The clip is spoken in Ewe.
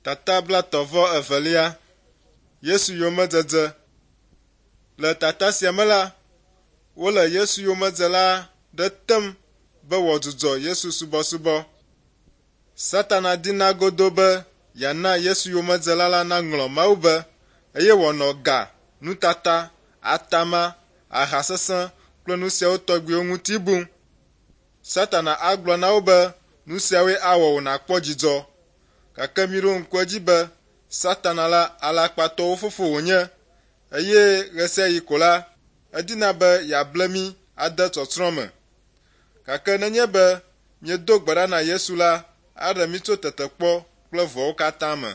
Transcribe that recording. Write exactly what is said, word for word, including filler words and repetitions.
Tata blaetɔ̃ vɔ evelia. Yesu yomedzedze. Le tata sia me la, wole Yesu yomedzela ɖe tem be wòadzudzɔ Yesu subɔsubɔ. Satana dina godoo be yeana Yesu yomedzela la naŋlɔ Mawu be eye wòanɔ ga, nutata, atama, aha sesẽ kple nu siawo tɔgbiwo ŋuti bum. Satana agblɔ na wo be nu siawoe awɔ wò nàkpɔ dzidzɔ. Gake miɖo ŋku edzi be Satana la alakpatɔwo fofo wònye eye ɣe sia ɣi ko la, edina be yeable mí ade tsɔtsrɔ̃ me. Gake nenye be míedo gbe ɖa na Yesu la, aɖe mí tso tetekpɔ kple vɔ̃wo katã me.